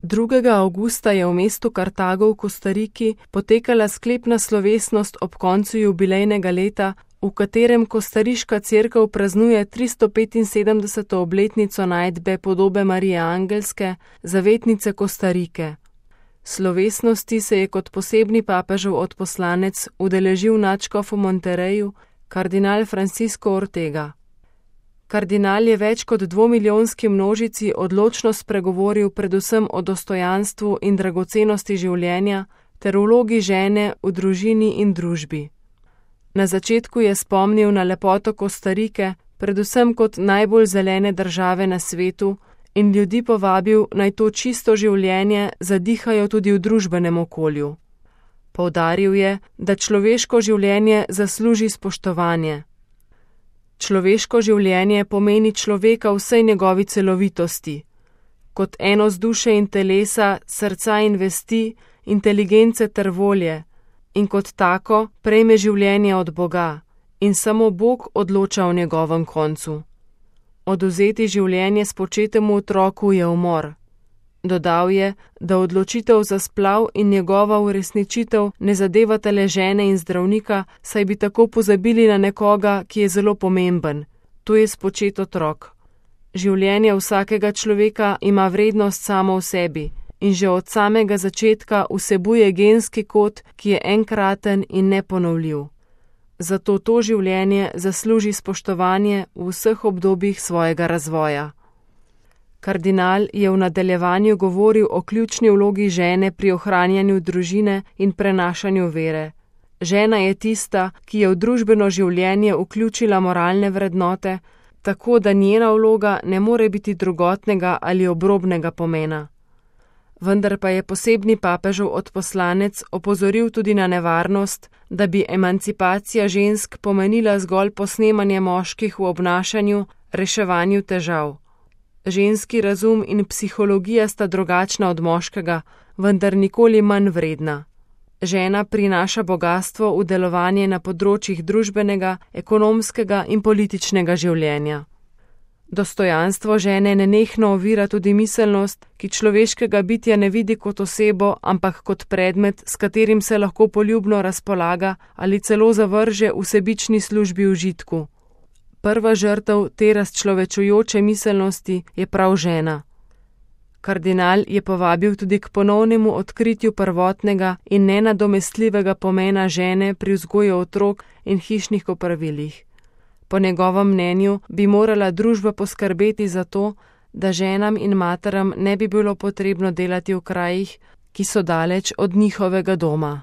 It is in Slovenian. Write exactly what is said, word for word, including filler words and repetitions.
drugega avgusta je v mestu Kartago v Kostariki potekala sklepna slovesnost ob koncu jubilejnega leta, v katerem kostariška cerkev praznuje tristo petinsedemdeseto obletnico najdbe podobe Marije Angelske, zavetnice Kostarike. Slovesnosti se je kot posebni papežev odposlanec udeležil nadškof v Monterreju, kardinal Francisco Ortega. Kardinal je več kot dvomilijonski množici odločno spregovoril predvsem o dostojanstvu in dragocenosti življenja ter vlogi žene v družini in družbi. Na začetku je spomnil na lepoto Kostarike, predvsem kot najbolj zelene države na svetu, in ljudi povabil, naj to čisto življenje zadihajo tudi v družbenem okolju. Poudaril je, da človeško življenje zasluži spoštovanje. Človeško življenje pomeni človeka v vsej njegovi celovitosti, kot enost duše in telesa, srca in vesti, inteligence ter volje, in kot tako prejme življenje od Boga, in samo Bog odloča o njegovem koncu. Odvzeti življenje spočetemu otroku je umor. Dodal je, da odločitev za splav in njegova uresničitev ne zadevata le žene in zdravnika, saj bi tako pozabili na nekoga, ki je zelo pomemben, to je spočet otrok. Življenje vsakega človeka ima vrednost samo v sebi in že od samega začetka vsebuje genski kod, ki je enkraten in neponovljiv. Zato to življenje zasluži spoštovanje v vseh obdobjih svojega razvoja. Kardinal je v nadaljevanju govoril o ključni vlogi žene pri ohranjanju družine in prenašanju vere. Žena je tista, ki je v družbeno življenje vključila moralne vrednote, tako da njena vloga ne more biti drugotnega ali obrobnega pomena. Vendar pa je posebni papežev odposlanec opozoril tudi na nevarnost, da bi emancipacija žensk pomenila zgolj posnemanje moških v obnašanju, reševanju težav. Ženski razum in psihologija sta drugačna od moškega, vendar nikoli manj vredna. Žena prinaša bogastvo v delovanje na področjih družbenega, ekonomskega in političnega življenja. Dostojanstvo žene nenehno ovira tudi miselnost, ki človeškega bitja ne vidi kot osebo, ampak kot predmet, s katerim se lahko poljubno razpolaga ali celo zavrže v sebični službi užitku. Prva žrtev te razčlovečujoče miselnosti je prav žena. Kardinal je povabil tudi k ponovnemu odkritju prvotnega in nenadomestljivega pomena žene pri vzgoju otrok in hišnih opravilih. Po njegovem mnenju bi morala družba poskrbeti za to, da ženam in materam ne bi bilo potrebno delati v krajih, ki so daleč od njihovega doma.